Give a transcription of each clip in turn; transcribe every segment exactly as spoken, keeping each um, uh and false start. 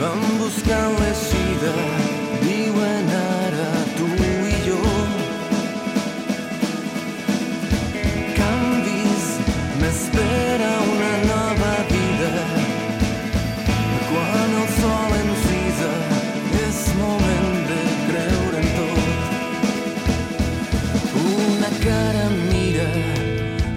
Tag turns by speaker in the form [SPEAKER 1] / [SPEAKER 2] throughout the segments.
[SPEAKER 1] van buscant l'eixida, diuen ara tu i jo. Canvis, m'espera una nova vida. Quan el sol encisa és moment de creure en tot. Una cara mira,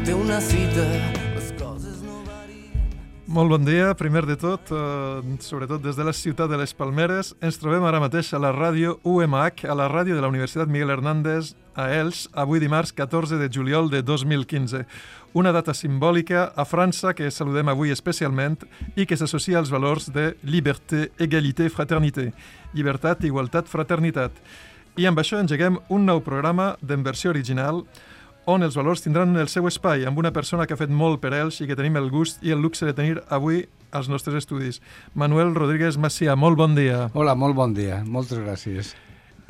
[SPEAKER 1] té una cita, les coses no varien.
[SPEAKER 2] Molt bon dia, primer de tot, eh, sobretot des de la ciutat de les Palmeres. Ens trobem ara mateix a la ràdio U M H, a la ràdio de la Universitat Miguel Hernández a Elx, avui dimarts catorze de juliol de dos mil quinze. Una data simbòlica a França que saludem avui especialment i que s'associa als valors de lliberté, égalité, fraternité. Llibertat, igualtat, fraternitat. I amb això engeguem un nou programa d'en versió original on els valors tindran el seu espai amb una persona que ha fet molt per ells i que tenim el gust i el luxe de tenir avui als nostres estudis. Manuel Rodríguez Macià, molt bon dia.
[SPEAKER 3] Hola, molt bon dia. Moltes gràcies.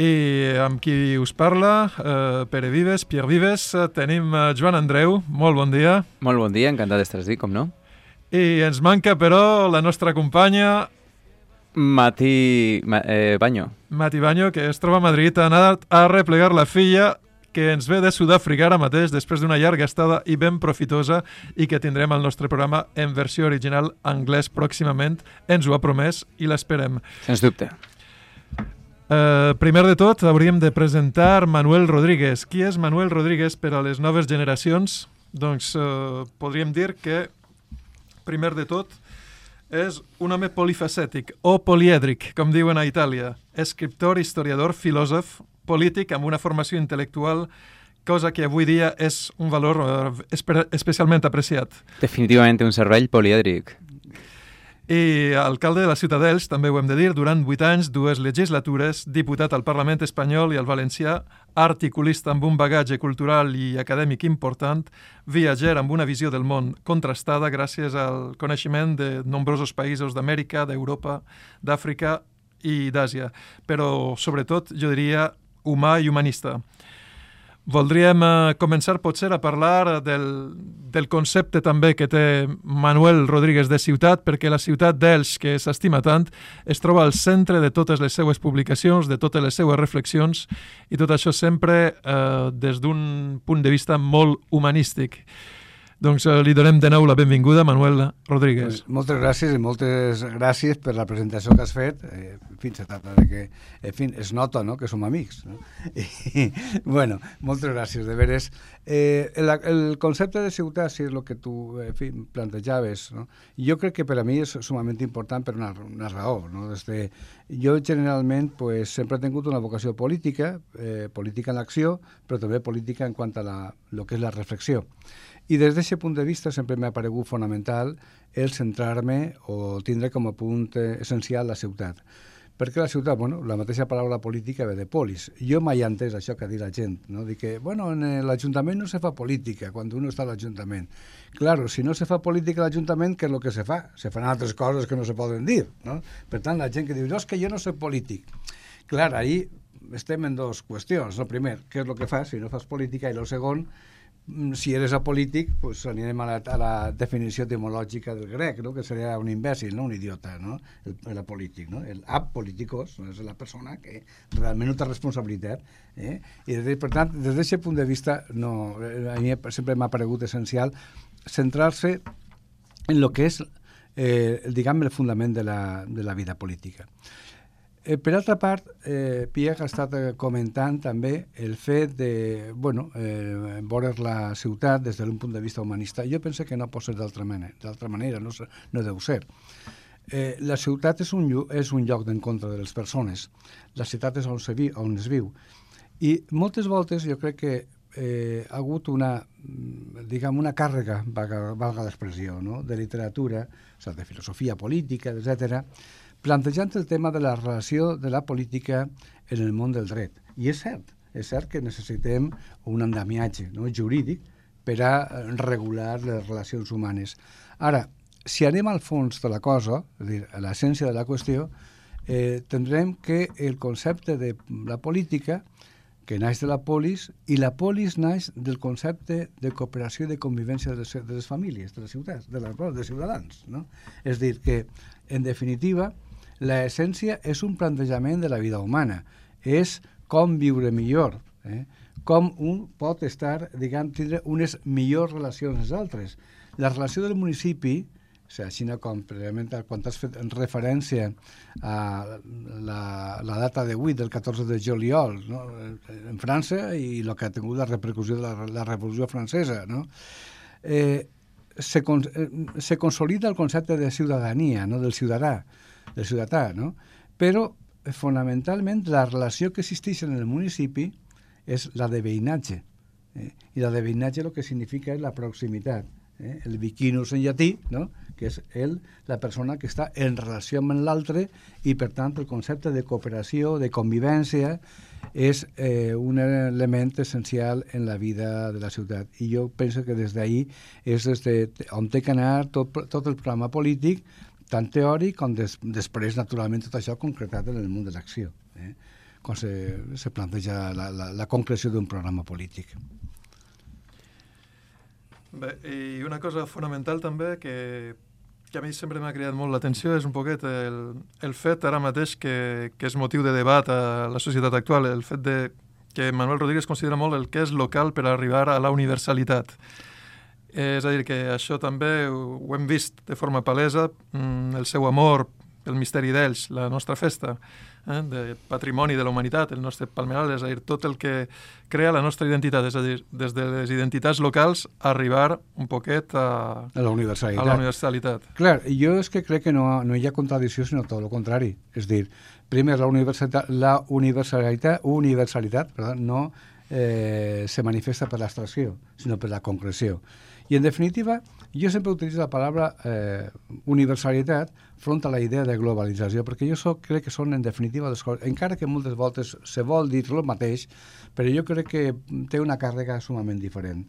[SPEAKER 2] I amb qui us parla, eh, Pere Vives, Pierre Vives, eh, tenim eh, Joan Andreu, molt bon dia.
[SPEAKER 4] Molt bon dia, encantat d'estar aquí, com no?
[SPEAKER 2] I ens manca, però, la nostra companya
[SPEAKER 4] Mati Ma, eh, Baño.
[SPEAKER 2] Mati Baño, que es troba a Madrid, ha anat a replegar la filla que ens ve de Sud-àfrica ara mateix, després d'una llarga estada i ben profitosa, i que tindrem al nostre programa en versió original anglès pròximament. Ens ho ha promès i l'esperem.
[SPEAKER 4] Sens dubte.
[SPEAKER 2] Uh, primer de tot, hauríem de presentar Manuel Rodríguez. Qui és Manuel Rodríguez per a les noves generacions? Doncs uh, podríem dir que, primer de tot, és un home polifacètic o polièdric, com diuen a Itàlia. Escriptor, historiador, filòsof, polític amb una formació intel·lectual, cosa que avui dia és un valor uh, espe- especialment apreciat.
[SPEAKER 4] Definitivament un cervell polièdric.
[SPEAKER 2] I alcalde de la ciutat d'Elx, també ho hem de dir, durant vuit anys, dues legislatures, diputat al Parlament espanyol i al valencià, articulista amb un bagatge cultural i acadèmic important, viatger amb una visió del món contrastada gràcies al coneixement de nombrosos països d'Amèrica, d'Europa, d'Àfrica i d'Àsia, però sobretot, jo diria, humà i humanista. Voldríem eh, començar potser a parlar del, del concepte també que té Manuel Rodríguez de ciutat, perquè la ciutat d'Elx, que s'estima tant, es troba al centre de totes les seues publicacions, de totes les seues reflexions, i tot això sempre eh, des d'un punt de vista molt humanístic. Doncs eh, li donem de nou la benvinguda, Manuel Rodríguez.
[SPEAKER 3] Pues, moltes gràcies i moltes gràcies per la presentació que has fet. Eh, en fi, se tracta de que, en fi, es nota, no?, que som amics. No? I, bueno, moltes gràcies, de veres. Eh, el, el concepte de ciutat, si és el que tu, en fi, plantejaves, no? Jo crec que per a mi és sumament important per una, una raó. No? Desde, jo generalment pues, sempre he tingut una vocació política, eh, política en l'acció, però també política en quant a la, lo que és la reflexió. I des d'aquest punt de vista sempre m'ha paregut fonamental el centrar-me o tindre com a punt essencial la ciutat. Perquè la ciutat, bueno, la mateixa paraula política ve de polis. Jo mai he entès això que ha dit la gent, no? Dic que, bueno, en l'Ajuntament no se fa política quan uno està a l'Ajuntament. Claro, si no se fa política a l'Ajuntament, què és el que se fa? Se fan altres coses que no se poden dir, no? Per tant, la gent que diu, no, és que jo no soc polític. Clar, ahí estem en dues qüestions. El primer, què és el que fas si no fas política? I el segon, si eres apolític, pues anirem a la, a la definició etimològica del grec, no? Que seria un imbècil, no? Un idiota, no? El, el apolític, no? El apolíticos, no? És la persona que realment no té responsabilitat. Eh? I, de, per tant, des d'aquest punt de vista, no, a mi sempre m'ha paregut essencial centrar-se en el que és, eh, diguem, el fundament de la, de la vida política. Eh, per altra part, eh, Pierre ha estat comentant també el fet de, bueno, eh, veure la ciutat des d'un punt de vista humanista. Jo penso que no pot ser d'altra manera, d'altra manera, no, no deu ser. Eh, la ciutat és un, és un lloc d'encontre de les persones. La ciutat és on, se vi, on es viu. I moltes voltes jo crec que eh, ha hagut una, diguem, una càrrega, valga, valga l'expressió, no?, de literatura, o sigui, de filosofia política, etcètera, plantejant el tema de la relació de la política en el món del dret. I és cert, és cert que necessitem un andamiatge, no?, jurídic per a regular les relacions humanes. Ara, si anem al fons de la cosa, és a dir, a l'essència de la qüestió, eh, tindrem que el concepte de la política, que naix de la polis, i la polis naix del concepte de cooperació i de convivència de les, de les famílies, de les ciutats, de, les, de ciutadans. No? És dir, que, en definitiva, L'essència és un plantejament de la vida humana, és com viure millor, eh? Com un pot estar, diguem, tindre unes millors relacions amb els altres. La relació del municipi, o sigui, així com precisament quan has fet referència a la, la data d'avui, del catorze de juliol, no? En França, i el que ha tingut la repercussió de la, la Revolució Francesa, no? Eh, se, con, eh, se consolida el concepte de ciutadania, no? Del ciutadà, del ciutadà, no? Però, fonamentalment, la relació que existeix en el municipi és la de veïnatge. Eh? I la de veïnatge el que significa és la proximitat. Eh? El vicinus en llatí, no? Que és el, la persona que està en relació amb l'altre i, per tant, el concepte de cooperació, de convivència, és eh, un element essencial en la vida de la ciutat. I jo penso que des d'ahir és des de on té que anar tot, tot el programa polític, tant teòric com des, després, naturalment, tot això concretat en el món de l'acció, eh? quan se, se planteja la, la, la concreció d'un programa polític.
[SPEAKER 2] Bé, i una cosa fonamental també que, que a mi sempre m'ha cridat molt l'atenció és un poquet el, el fet ara mateix que, que és motiu de debat a la societat actual, el fet de que Manuel Rodríguez considera molt el que és local per arribar a la universalitat. És a dir, que això també ho, ho hem vist de forma palesa, el seu amor pel misteri d'Elx, la nostra festa, eh, de patrimoni de la humanitat, el nostre palmeral, és a dir, tot el que crea la nostra identitat, és a dir, des de les identitats locals arribar un poquet a,
[SPEAKER 3] a la universalitat.
[SPEAKER 2] A la universalitat.
[SPEAKER 3] Clar, jo és que crec que no, no hi ha contradicció, sinó tot el contrari. És dir, primer, la universalitat, la universalitat, universalitat perdó, no eh, se manifesta per l'abstracció, sinó per la concreció. I, en definitiva, jo sempre utilitzo la paraula eh, universalitat front a la idea de globalització, perquè jo soc, crec que són, en definitiva, les coses, encara que moltes voltes se vol dir el mateix, però jo crec que té una càrrega sumament diferent.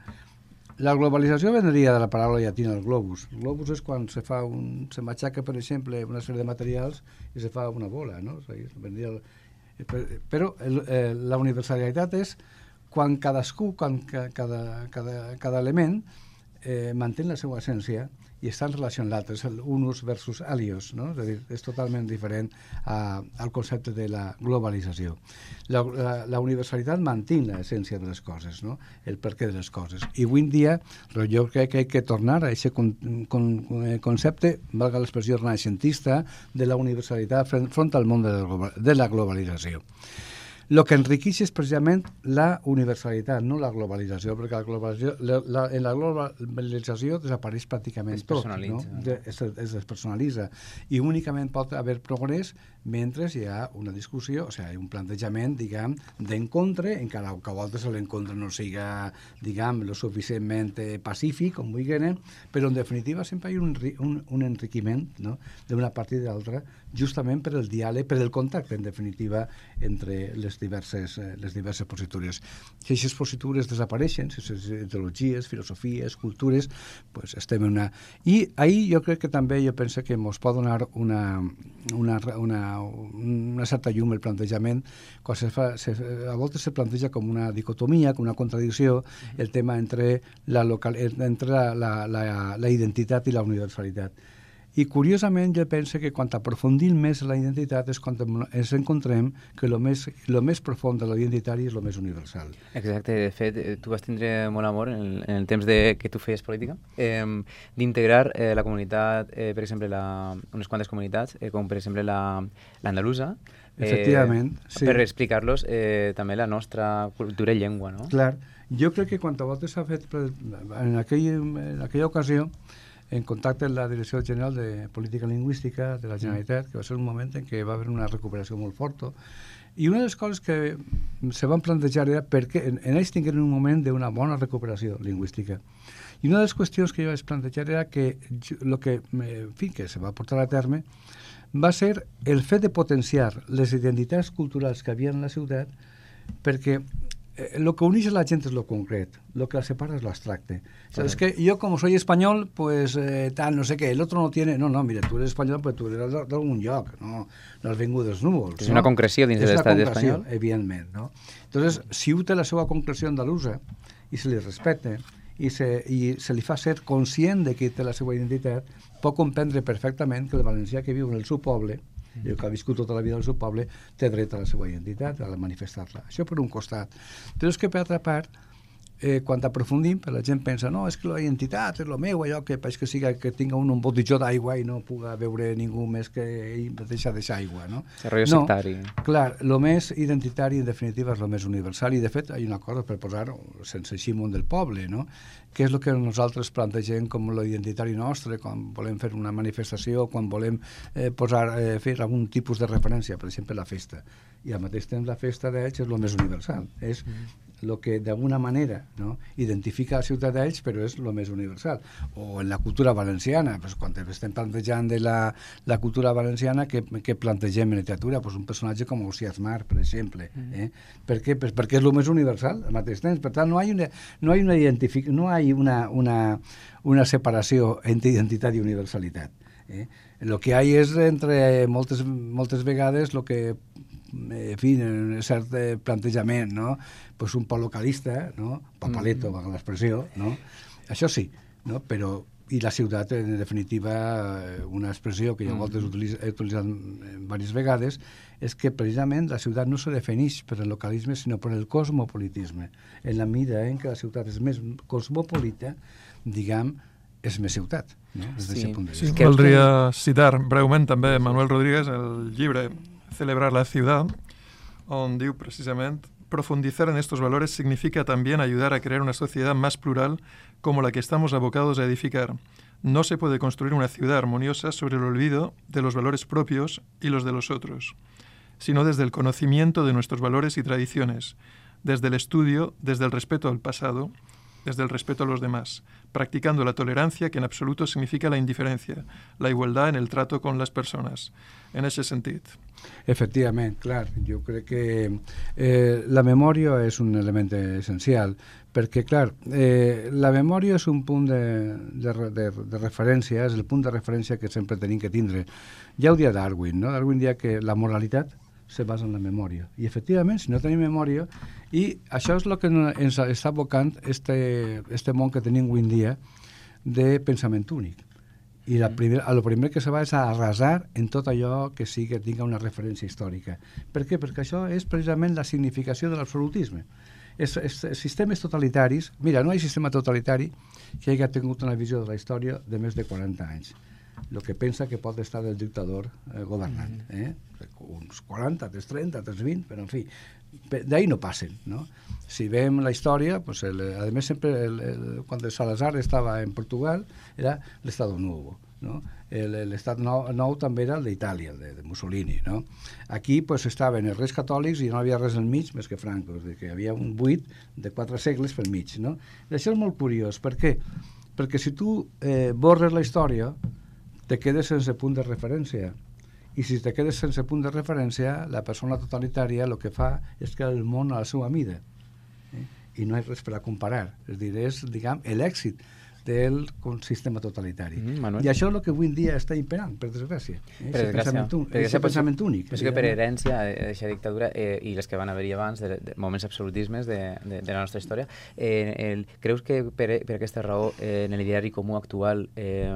[SPEAKER 3] La globalització vendria de la paraula llatina del globus. El globus és quan se fa un, se matxaca, per exemple, una sèrie de materials i se fa una bola, no? O sigui, vendria el, però el, eh, la universalitat és quan cadascú, quan cada, cada, cada element Eh, manté la seva essència i està en relació amb l'altre, és el unus versus alios, no? És a dir, és totalment diferent a, al concepte de la globalització. La, la, la universalitat manté l'essència de les coses, no? El perquè de les coses. I avui en dia jo crec que hay que tornar a aquest con, con, concepte, valga l'expressió renaixentista, de la universalitat front al món de la, de la globalització. El que enriqueix és precisament la universalitat, no la globalització, perquè la globalització, la, la, en la globalització desapareix pràcticament tot, no? De, es, es despersonalitza i únicament pot haver progrés mentre hi ha una discussió, o sigui, un plantejament, diguem, d'encontre, encara que a voltes l'encontre no siga, diguem, lo suficientment pacífic, com vulguin, però en definitiva sempre hi ha un, un, un enriquiment, no?, d'una part i de l'altra, justament per el diàleg, per el contacte, en definitiva, entre les diverses, les diverses positures. Si aquestes positures desapareixen, si aquestes ideologies, filosofies, cultures, pues estem en una... I ahir jo crec que també jo penso que ens pot donar una, una, una, una certa llum el plantejament, quan se fa, se, a voltes se planteja com una dicotomia, com una contradicció, el tema entre la, local, entre la, la, la, la identitat i la universalitat. I, curiosament, jo penso que quan aprofundim més la identitat és quan ens encontrem que el més, lo més profund de la identitari és el més universal.
[SPEAKER 4] Exacte. De fet, tu vas tindre molt amor en el, en el temps de, que tu feies política, eh, d'integrar eh, la comunitat, eh, per exemple, la, unes quantes comunitats, eh, com per exemple l'andalusa,
[SPEAKER 3] eh, efectivament, sí.
[SPEAKER 4] Per explicar-los eh, també la nostra cultura i llengua, no?
[SPEAKER 3] Clar. Jo crec que quan a voltes s'ha fet, en, aquell, en aquella ocasió, en contacte amb la Direcció General de Política Lingüística de la Generalitat, que va ser un moment en què va haver una recuperació molt forta, i una de les coses que se van plantejar era perquè en, en ells tingueren un moment d'una bona recuperació lingüística. I una de les qüestions que jo vaig plantejar era que el que, en fi, que se va portar a terme va ser el fet de potenciar les identitats culturals que havia en la ciutat, perquè lo que uneix a la gent és lo concret, lo que la separa es lo abstracte. O sea, es que yo como soy español, pues eh, tal, no sé qué, el otro no tiene... No, no, mira, tú eres español, pues tú eres d'algun lloc, no, no has vingut dels núvols.
[SPEAKER 4] És
[SPEAKER 3] no?
[SPEAKER 4] una concreció dins de l'estat espanyol.
[SPEAKER 3] Evidentment, no? Entonces, si u té la seva concreció andalusa i se li respecta i se, i se li fa ser conscient de que té la seva identitat, pot comprendre perfectament que el valencià que viu en el seu poble I el que ha viscut tota la vida al seu poble té dret a la seva identitat, a manifestar-la. Això per un costat. Però és que per altra part, eh, quan aprofundim, la gent pensa, no, és que la identitat és el meu, allò que és que siga que tinga un, un botijó d'aigua i no puga veure ningú més que ell deixar deixar aigua, no?
[SPEAKER 4] El rotllo
[SPEAKER 3] no,
[SPEAKER 4] sectari.
[SPEAKER 3] Clar, el més identitari, en definitiva, és el més universal, i de fet hi ha una cosa per posar-ho sense així món del poble, no? Què és el que nosaltres plantegem com l'identitari nostre, quan volem fer una manifestació, quan volem eh, posar, eh, fer algun tipus de referència, per exemple, la festa. I al mateix temps la festa d'Elx és el més universal, és el que d'alguna manera, no, identifica la ciutat d'Elx, però és el més universal. O en la cultura valenciana, pues, quan estem plantejant de la, la cultura valenciana, que, que plantegem en literatura, pues, un personatge com Ausiàs Mar, per exemple. Eh? Per què? Pues perquè és el més universal al mateix temps. Per tant, no hi ha una, no hi ha una, identific... no hi ha una, una, una separació entre identitat i universalitat. Eh? El que hi ha és, entre moltes, moltes vegades, el que en fi, en cert plantejament, no? Pues un poc localista, no? Papaleto, mm. valga l'expressió, no? Això sí, no? Però i la ciutat, en definitiva, una expressió que jo mm. voltes utilitz, he utilitzat diverses vegades, és que precisament la ciutat no se defineix per el localisme, sinó per el cosmopolitisme. En la medida en què la ciutat és més cosmopolita, diguem, és més ciutat, no? Des
[SPEAKER 4] sí.
[SPEAKER 3] punt de
[SPEAKER 2] Sí,
[SPEAKER 3] vista.
[SPEAKER 2] voldria citar breument també Manuel Rodríguez, el llibre Celebrar la ciudad, on diu precisament: profundizar en estos valores significa también ayudar a crear una sociedad más plural como la que estamos abocados a edificar. No se puede construir una ciudad armoniosa sobre el olvido de los valores propios y los de los otros, sino desde el conocimiento de nuestros valores y tradiciones, desde el estudio, desde el respeto al pasado, desde el respeto a los demás, practicando la tolerancia, que en absoluto significa la indiferencia, la igualdad en el trato con las personas. En ese sentit.
[SPEAKER 3] Efectivament, clar. Jo crec que eh, la memòria és un element essencial, perquè, clar, eh, la memòria és un punt de, de, de, de referència, és el punt de referència que sempre tenim que tindre. Ja ho dia Darwin, no? Darwin dia que la moralitat se basa en la memòria. I, efectivament, si no tenim memòria, i això és el que ens està abocant este, este món que tenim avui en dia de pensament únic. I la primer, el primer que se va és a arrasar en tot allò que sí que tinga una referència històrica. Per què? Perquè això és precisament la significació de l'absolutisme. Els, els, els sistemes totalitaris... Mira, no hi ha sistema totalitari que hagi tingut una visió de la història de més de quaranta anys. El que pensa que pot estar el dictador eh, governant. Eh? Uns quaranta, tres trenta, tres vint, però en fi, d'ahí no passen, no? Si veiem la història, pues el, a més sempre, el, el, quan Salazar estava en Portugal, era l'Estado Nuevo, no? L'estat nou, nou també era el d'Itàlia, el de, de Mussolini, no? Aquí pues, estaven els reis catòlics i no havia res al mig més que Franco, és dir, que hi havia un buit de quatre segles pel mig, no? I això és molt curiós, per què? Perquè si tu eh, borres la història, te quedes sense punt de referència. I si te quedes sense punt de referència, la persona totalitària el que fa és que el món a la seva mida. Eh? I no hi ha res per a comparar. És dir, és, diguem, l'èxit del sistema totalitari. Mm, I això és el que avui en dia està imperant, per desgràcia. Eh?
[SPEAKER 4] Per desgràcia.
[SPEAKER 3] És el pensament únic.
[SPEAKER 4] Penso que per herència d'aquesta dictadura eh, i les que van haver-hi abans, de, de moments absolutismes de, de, de la nostra història, eh, el, creus que per, per aquesta raó eh, en l'ideari comú actual eh,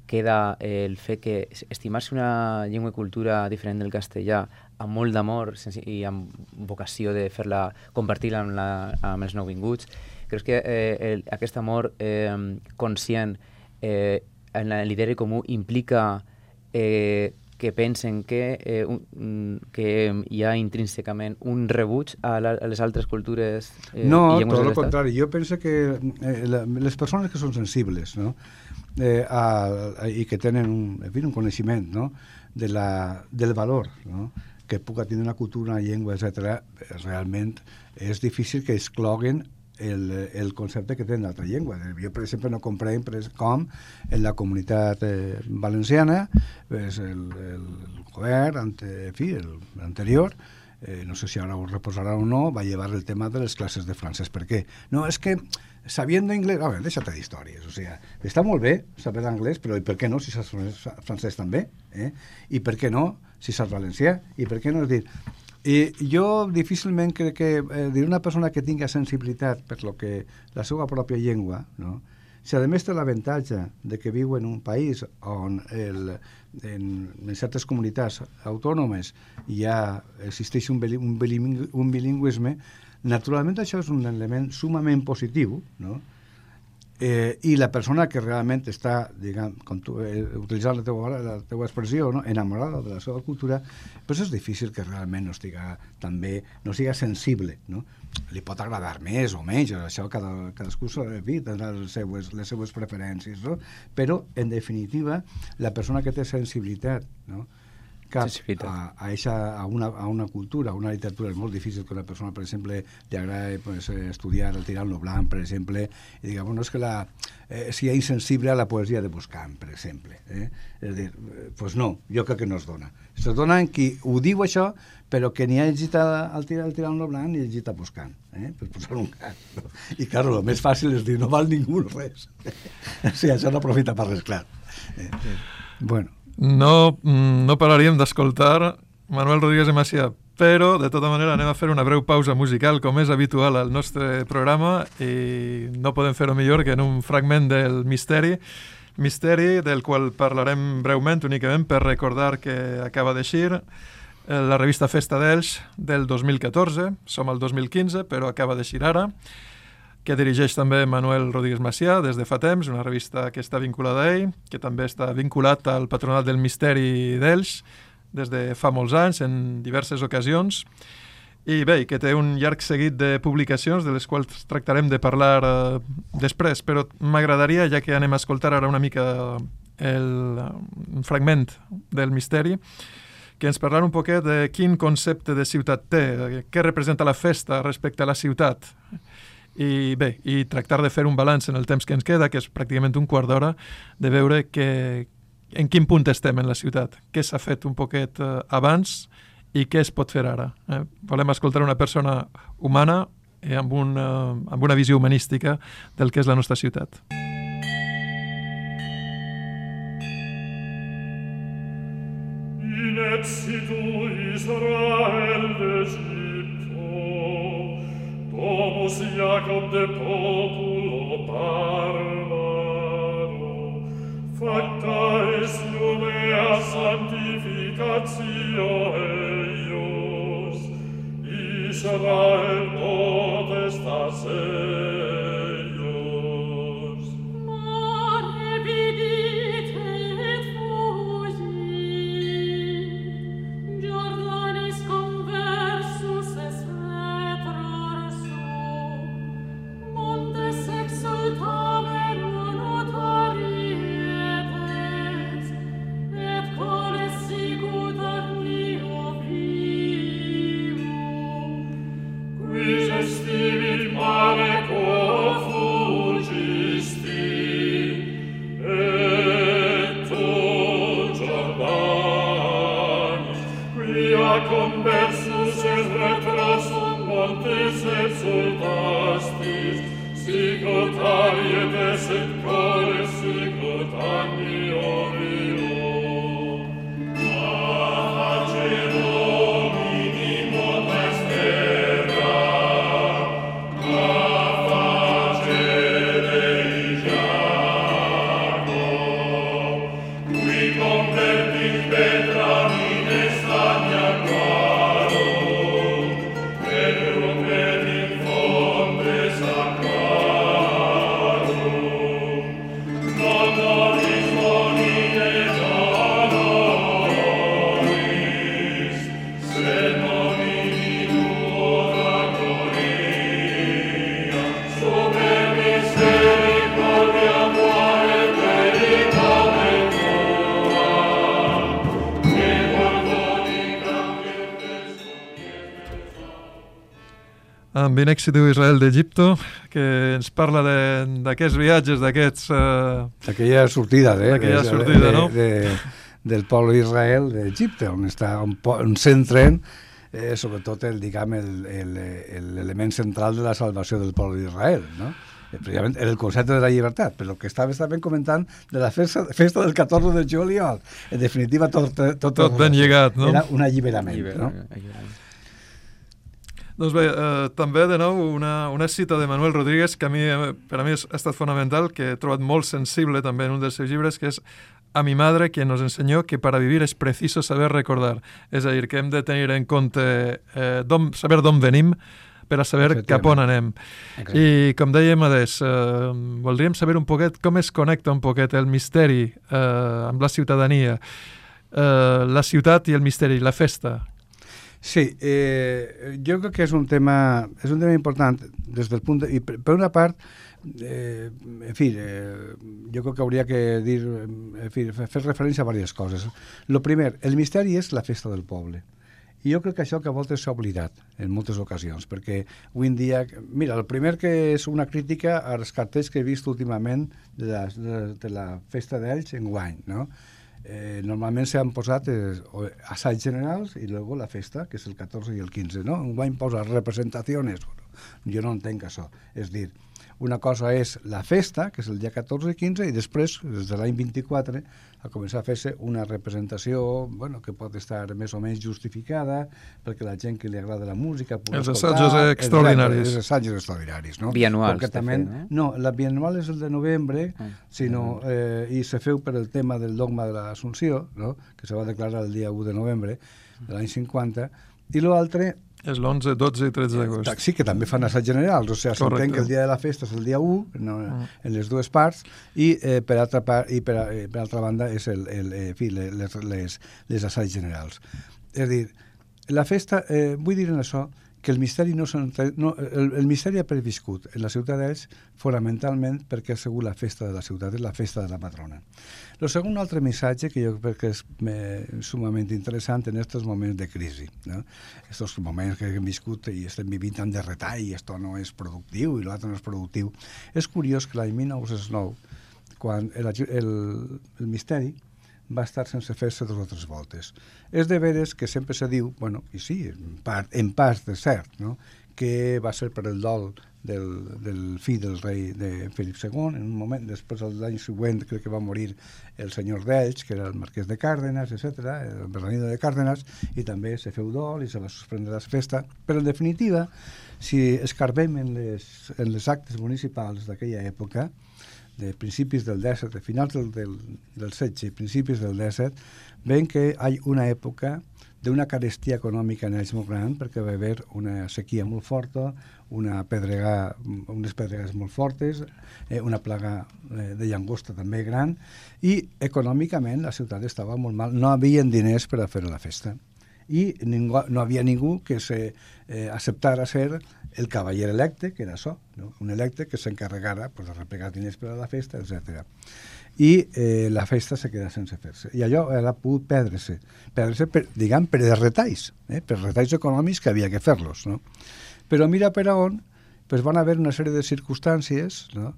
[SPEAKER 4] queda el fet que estimar-se una llengua i cultura diferent del castellà amb molt d'amor i amb vocació de fer-la, compartir-la amb, la, amb els nouvinguts, creus que eh, el, aquest amor eh, conscient eh, en l'ideari comú implica eh, que pensen que, eh, un, que hi ha intrínsecament un rebuig a, la, a les altres cultures eh,
[SPEAKER 3] no,
[SPEAKER 4] i llengües
[SPEAKER 3] tot
[SPEAKER 4] de
[SPEAKER 3] el contrari. Jo penso que eh, la, les persones que són sensibles, no? Eh, a, a, i que tenen un, en fi, un coneixement, no? de la, del valor, no? que puga tenir una cultura, una llengua, etcètera, realment és difícil que excloguen el, el concepte que tenen d'altra llengua. Jo, per exemple, no comprenc com en la comunitat eh, valenciana pues, el, el govern, ante, en fi, l'anterior, eh, no sé si ara ho reposarà o no, va llevar el tema de les classes de francès. Per què? No, és que sabiendo inglés, a ver, déjate de històries, o sea, està molt bé saber anglès, però i per què no si saps francès també? Eh? I per què no si saps valencià? I per què no? És dir, i jo difícilment crec que eh, dir una persona que tinga sensibilitat per lo que la seva pròpia llengua, no? si a més té l'avantatge de que viu en un país on el, en, en certes comunitats autònomes ja existeix un, un, bilingüisme, un bilingüisme, naturalment això és un element sumament positiu, no? Eh, i la persona que realment està, diguem, com tu, eh, utilitzant la teua, la teua expressió, no? enamorada de la seva cultura, doncs és difícil que realment no estiga també, no siga sensible, no? Li pot agradar més o menys, això cada, cadascú tindrà les seues, les seues preferències, no? Però en definitiva la persona que té sensibilitat, no? cap a, a, eixa, a, una, a una cultura, a una literatura. És molt difícil que una persona, per exemple, li agrada pues, estudiar el Tirant-lo Blanc, per exemple, i diga, bueno, és que la, eh, sigui insensible a la poesia de Boscán, per exemple. Eh? És a dir, pues no, jo crec que no es dona. Es dona en qui ho diu això, però que ni ha llegit el Tirant-lo Blanc ni ha llegit a Boscán, eh? per posar un cas. No? I, clar, el més fàcil és dir, no val ningú res. O sigui, això no aprofita per res, clar. Eh? Bueno.
[SPEAKER 2] No, no pararíem d'escoltar Manuel Rodríguez de Macià, però de tota manera anem a fer una breu pausa musical com és habitual al nostre programa i no podem fer-ho millor que en un fragment del Misteri, Misteri del qual parlarem breument únicament per recordar que acaba d'eixir la revista Festa d'Elx del dos mil catorze, som al dos mil quinze però acaba d'eixir ara, que dirigeix també Manuel Rodríguez Macià des de fa temps, una revista que està vinculada a ell, que també està vinculat al Patronat del Misteri d'Elx des de fa molts anys, en diverses ocasions, i bé, que té un llarg seguit de publicacions de les quals tractarem de parlar eh, després, però m'agradaria, ja que anem a escoltar ara una mica el, un fragment del Misteri, que ens parlar un poquet de quin concepte de ciutat té, què representa la festa respecte a la ciutat, i bé, i tractar de fer un balanç en el temps que ens queda, que és pràcticament un quart d'hora, de veure que, en quin punt estem en la ciutat, què s'ha fet un poquet eh, abans i què es pot fer ara. Eh? Volem escoltar una persona humana eh, amb, un, eh, amb una visió humanística del que és la nostra ciutat.
[SPEAKER 5] In exitu Israel d'Egipto Domus Jacob de populo barbaro, facta es lumea santificatio eius, Israel potestas eius.
[SPEAKER 6] Mare vidite et fugi, Jordanis conversus es
[SPEAKER 5] conversus et retrosum montes exultastis, sicut arietes et cores, sicut agni ovio. A face Domini motas terra, a face Dei Jacob, qui convertit Petra in estania quaro, et rumet in fonte sacrarum. Non nobis bonine doloris, sed nomini tuo gloria, super misericordia muore veritame tua, che perdoni grandientes
[SPEAKER 2] Amb In Exitu Israel d'Egipto, que ens parla de- d'aquests viatges, d'aquests... Eh,
[SPEAKER 3] Aquella sortida, eh,
[SPEAKER 2] Aquella
[SPEAKER 3] de,
[SPEAKER 2] sortida,
[SPEAKER 3] de,
[SPEAKER 2] no?
[SPEAKER 3] de, del poble d'Israel d'Egipte, on està on, po- on centren eh, sobretot el, diguem, el- el- el- l'element central de la salvació del poble d'Israel, no? Eh, precisament el concepte de la llibertat, però que estava també comentant de la festa, festa del catorze de juliol. En definitiva, tot, tot,
[SPEAKER 2] Tot ben lligat, no?
[SPEAKER 3] Era un alliberament,
[SPEAKER 4] Alliber-
[SPEAKER 3] no?
[SPEAKER 4] alliberament.
[SPEAKER 2] Doncs bé, eh, també de nou una, una cita de Manuel Rodríguez que a mi, eh, per a mi ha estat fonamental, que he trobat molt sensible també en un dels seus llibres, que és a mi madre quien nos enseñó que para vivir es preciso saber recordar. És a dir, que hem de tenir en compte eh, d'on, saber d'on venim per a saber cap on anem.
[SPEAKER 4] Exacte.
[SPEAKER 2] I com deia Madès, eh, voldríem saber un poquet com es connecta un poquet el misteri eh, amb la ciutadania, eh, la ciutat i el misteri, la festa.
[SPEAKER 3] Sí, eh, jo crec que és un tema, és un tema important des del punt de... I per, per una part, eh, en fi, eh, jo crec que hauria que dir, en fi, fer referència a diverses coses. Lo primer, el misteri és la festa del poble. I jo crec que això que a voltes s'ha oblidat en moltes ocasions, perquè avui en dia... Mira, el primer que és una crítica als cartells que he vist últimament de la, de, de la festa d'Elx en guany, no? Eh, normalment s'han posat eh, assaigs generals i luego la festa, que és el catorze i el quinze, no? Un guany posa representacions. Jo no entenc això. És dir, una cosa és la festa, que és el dia catorze i quinze, i després, des de l'any vint-i-quatre, a començar a fer-se una representació, bueno, que pot estar més o menys justificada, perquè la gent que li agrada la música pugui
[SPEAKER 2] Els
[SPEAKER 3] escoltar...
[SPEAKER 2] assajos extraordinaris.
[SPEAKER 3] Els assajos extraordinaris, no?
[SPEAKER 4] Bianuals,
[SPEAKER 3] Concretament,
[SPEAKER 4] de fet,
[SPEAKER 3] no? No, la bianual és el de novembre,
[SPEAKER 4] Ah,
[SPEAKER 3] sinó, eh, i se feu per el tema del dogma de l'Assumpció, no? Que se va declarar el dia u de novembre de l'any cinquanta, i l'altre...
[SPEAKER 2] És l'onze, dotze i tretze d'agost.
[SPEAKER 3] Sí, que també fan assaig generals, o sigui, s'entén que el dia de la festa és el dia u, no,
[SPEAKER 2] Mm.
[SPEAKER 3] en les dues parts, i eh, per altra part, i per, eh, per altra banda és el, el, eh, en fi, les, les, les assaigs generals. És a dir, la festa, eh, vull dir en això, que el misteri no, no el, el misteri ha previscut en la ciutat d'Elx fonamentalment perquè ha sigut la festa de la ciutat, és la festa de la patrona. El segon altre missatge que jo crec que és eh, sumament interessant en aquests moments de crisi, no? Estos moments que hem viscut i estem vivint tant de retall, i esto no és productiu i l'altre no és productiu. És curiós que l'any mil nou-cents nou, quan el, el, el misteri va estar sense fer-se dues o tres voltes. És de veres que sempre se diu, bueno, i sí, en part, en part de cert, no? Que va ser per el dol del, del fill del rei de Felip segon, en un moment, després l'any següent crec que va morir el senyor d'Elx, que era el marquès de Cárdenas, etcètera, el Bernardino de Cárdenas, i també se feu dol i se va suspendre la festa, però en definitiva, si escarbem en les, en les actes municipals d'aquella època, de principis del disset, de finals del, del, del setze i principis del disset, ven que hi ha una època d'una carestia econòmica en ells molt gran, perquè va haver una sequia molt forta, una pedrega, unes pedregues molt fortes, eh, una plaga eh, de llagosta també gran, i econòmicament la ciutat estava molt mal, no havien diners per a fer la festa. I ningú, no havia ningú que se eh, acceptara ser el cavaller electe, que era això, no? Un electe que s'encarregara pues, de replegar diners per a la festa, etcètera. I eh, la festa se queda sense fer-se. I allò era pogut perdre-se, perdre-se per, diguem, per retalls, eh? per retalls econòmics que havia que fer-los, no? Però mira per on, pues van haver una sèrie de circumstàncies, no?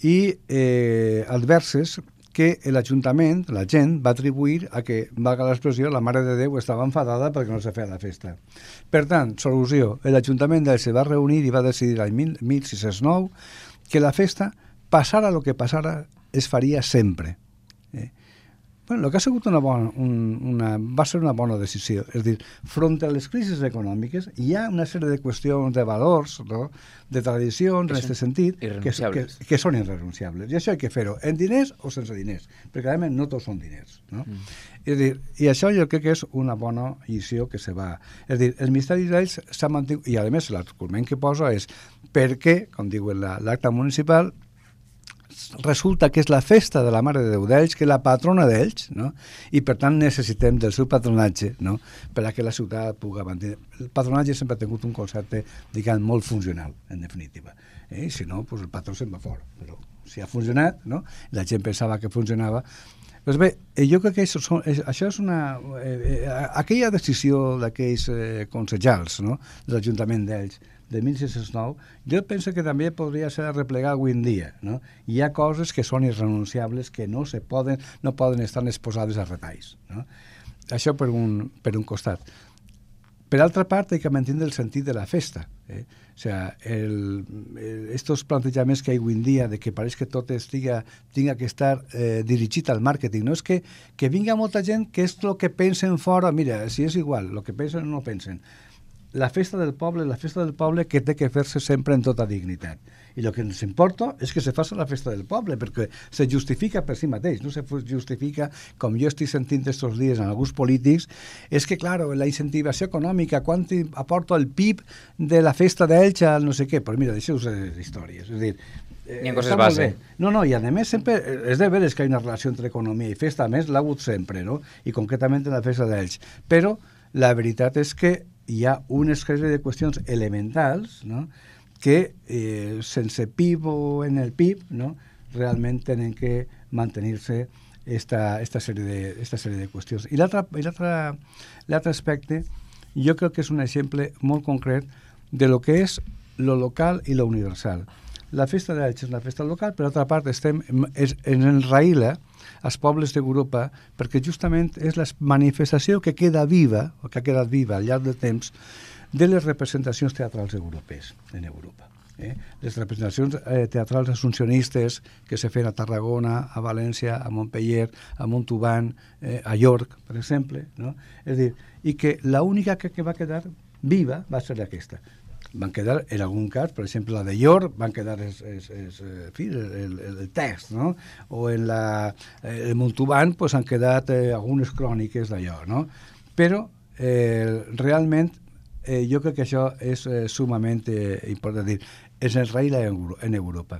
[SPEAKER 3] I eh, adverses que l'Ajuntament, la gent, va atribuir a que, valga l'expressió, la Mare de Déu estava enfadada perquè no se feia la festa. Per tant, solució, l'Ajuntament d'Elx se va reunir i va decidir l'any mil sis-cents nou que la festa, passara el que passara, es faria sempre. Eh? Bueno, el que ha sigut una bona, un, una, va ser una bona decisió. És a dir, front a les crisis econòmiques hi ha una sèrie de qüestions de valors, no? De tradicions, en aquest sentit, que, que, que són irrenunciables. I això hay que fer-ho, en diners o sense diners, perquè realment no tots són diners. No? Mm. És a dir, i això jo crec que és una bona lliçó que se va... És a dir, el misteri d'ells s'ha mantingut, i a més l'argument que posa és perquè, com diu l'acte municipal, resulta que és la festa de la Mare de Déu d'Elx, que és la patrona d'Elx, no? I per tant necessitem del seu patronatge, no? Per a que la ciutat pugui mantenir. El patronatge sempre ha tingut un concepte, diguem, molt funcional, en definitiva. Eh? I si no, pues el patró se'n va fora. Però si ha funcionat, no? La gent pensava que funcionava. Doncs bé, jo crec que això, són, això és una... Eh, eh, aquella decisió d'aquells eh, consellals, no? De l'Ajuntament d'Elx, de mil sis-cents nou, jo penso que també podria ser replegar avui en dia, no? Hi ha coses que són irrenunciables, que no se poden, no poden estar exposades a retalls, no? Això per un, per un costat. Per altra part, hay que mantenir el sentit de la festa. Eh? O sea, el, el, estos plantejaments que hi ha avui en dia de que pareix que tot estiga, tinga que estar eh, dirigit al màrqueting, no és que, que vinga molta gent que és el que pensen fora, mira, si és igual, el que pensen o no pensen. la festa del poble, la festa del poble que té que fer-se sempre en tota dignitat. I el que ens importa és que se faci la festa del poble, perquè se justifica per si mateix, no se justifica, com jo estic sentint estos dies en alguns polítics, és que, clar, la incentivació econòmica, quant aporta el P I B de la festa d'Elx al no sé què, però mira, deixeu-vos de històries, és a dir,
[SPEAKER 4] Ni en coses base.
[SPEAKER 3] No, no, i a més sempre és de veres que hi ha una relació entre economia i festa, a més l'ha hagut sempre, no? I concretament en la festa d'Elx. Però la veritat és que hi ha una sèrie de qüestions elementals, no?, que eh, sense P I B o en el P I B, no?, realment tenen que mantenir-se esta, esta, sèrie de, esta sèrie de qüestions. I l'altre aspecte, jo crec que és un exemple molt concret de lo que és lo local i lo universal. La festa d'Elx és una festa local, per altra part estem és, en enraïla als pobles d'Europa perquè justament és la manifestació que queda viva, o que ha quedat viva al llarg del temps, de les representacions teatrals europees en Europa. Eh? Les representacions eh, teatrals assumpcionistes que se feien a Tarragona, a València, a Montpellier, a Montauban, eh, a York, per exemple, no? És dir, i que l'única que, que va quedar viva va ser aquesta. Van quedar, en algun cas, per exemple, la de York, van quedar es, es, es, en fi, el, el, el text, no? O en la, el Montauban pues, han quedat eh, algunes cròniques d'allò, no? Però eh, realment eh, jo crec que això és eh, sumament eh, important dir, és el rei en Europa.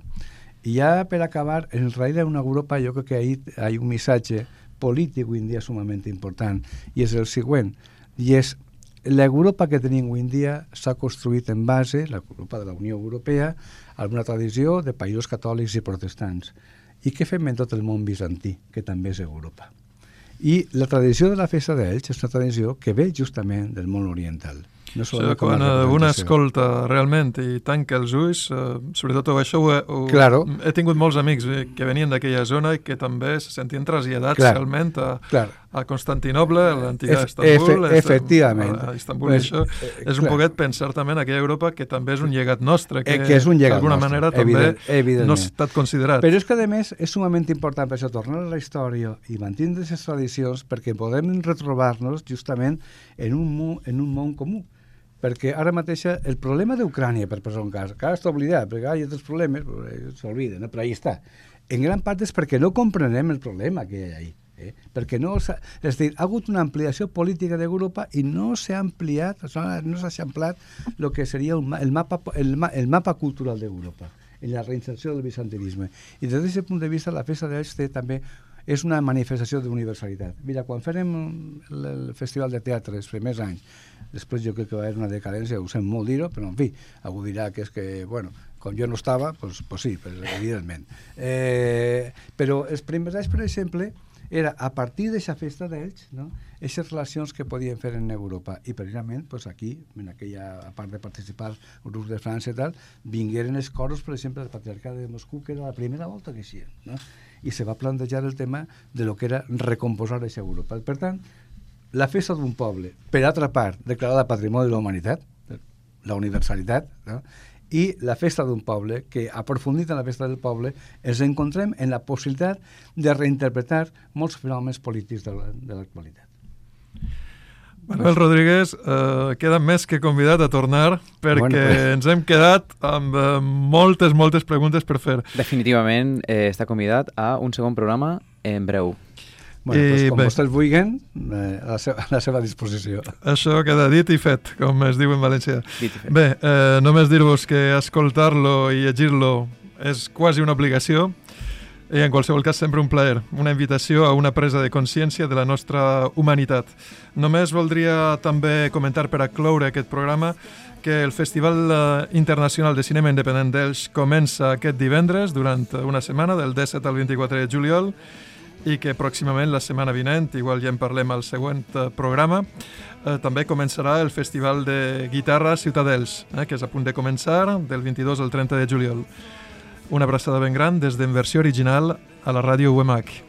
[SPEAKER 3] I ja per acabar, el rei en Europa jo crec que ahí hi ha un missatge polític avui en dia sumament important, i és el següent, i és l'Europa que tenim avui en dia s'ha construït en base, l'Europa de la Unió Europea, a una tradició de països catòlics i protestants. I què fem en tot el món bizantí, que també és Europa? I la tradició de la festa d'Elx és una tradició que ve justament del món oriental. No
[SPEAKER 2] o sigui, quan un escolta realment i tanca els ulls, eh, sobretot això ho he, ho,
[SPEAKER 3] claro.
[SPEAKER 2] he tingut molts amics que venien d'aquella zona i que també se sentien traslladats
[SPEAKER 3] claro.
[SPEAKER 2] realment a,
[SPEAKER 3] claro.
[SPEAKER 2] a Constantinoble, a l'antiga
[SPEAKER 3] Efe,
[SPEAKER 2] Istanbul.
[SPEAKER 3] Efe, efectivament.
[SPEAKER 2] A Istanbul, pues, això eh, és un poquet pensar també en aquella Europa que també és un llegat nostre, que,
[SPEAKER 3] eh, que és un llegat
[SPEAKER 2] d'alguna
[SPEAKER 3] nostre,
[SPEAKER 2] manera
[SPEAKER 3] evident,
[SPEAKER 2] també
[SPEAKER 3] evidentment.
[SPEAKER 2] no ha estat considerat.
[SPEAKER 3] Però és que a més és sumament important per això tornar a la història i mantenir aquestes tradicions perquè podem retrobar-nos justament en un, món, en un món comú. Perquè ara mateix el problema d'Ucrània, per posar un cas, que ara està oblidat, perquè hi ha altres problemes, s'obliden, no? Però ahí està. En gran part és perquè no comprenem el problema que hi ha ahí. Eh? Perquè no és a dir, ha hagut una ampliació política d'Europa i no s'ha ampliat, no s'ha eixamplat el que seria el mapa, el, el mapa cultural d'Europa, en la reinserció del bizantinisme. I des d'aquest punt de vista la festa d'Elx també és una manifestació d'universalitat. Mira, quan fèrem el Festival de Teatre els primers anys, després jo crec que va haver una decadència, ho sent molt dir-ho, però en fi, algú dirà que és que, bueno, com jo no estava, doncs pues sí, pues, evidentment. Eh, però els primers anys, per exemple, era a partir d'aquesta festa d'Elx, no?, aquestes relacions que podien fer en Europa. I precisament pues, aquí, en aquella, a part de participar grups de França i tal, vingueren els coros, per exemple, del Patriarcat de Moscou, que era la primera volta que hi no? I se va plantejar el tema de lo que era recomposar aquesta Europa. Per tant, la festa d'un poble, per altra part, declarada Patrimoni de la Humanitat, la universalitat, no?, i la festa d'un poble, que aprofundit en la festa del poble, ens encontrem en la possibilitat de reinterpretar molts fenòmens polítics de l'actualitat.
[SPEAKER 2] Manuel Rodríguez, eh, queda més que convidat a tornar perquè bueno, pues... ens hem quedat amb eh, moltes, moltes preguntes per fer.
[SPEAKER 4] Definitivament eh, està convidat a un segon programa en breu.
[SPEAKER 3] Bueno, I, pues, com bé, vostès vulguin, eh, a, la seva, a la seva disposició.
[SPEAKER 2] Això queda dit i fet, com es diu en valencià. Bé, eh, només dir-vos que escoltar-lo i llegir-lo és quasi una obligació i en qualsevol cas sempre un plaer, una invitació a una presa de consciència de la nostra humanitat. Només voldria també comentar per a cloure aquest programa que el Festival Internacional de Cinema Independent d'Elx comença aquest divendres durant una setmana, del disset al vint-i-quatre de juliol, i que pròximament, la setmana vinent, igual ja en parlem al següent programa, eh, també començarà el Festival de Guitarra Ciutadels, eh, que és a punt de començar del vint-i-dos al trenta de juliol. Una abraçada ben gran des d'Inversió Original a la ràdio U M H.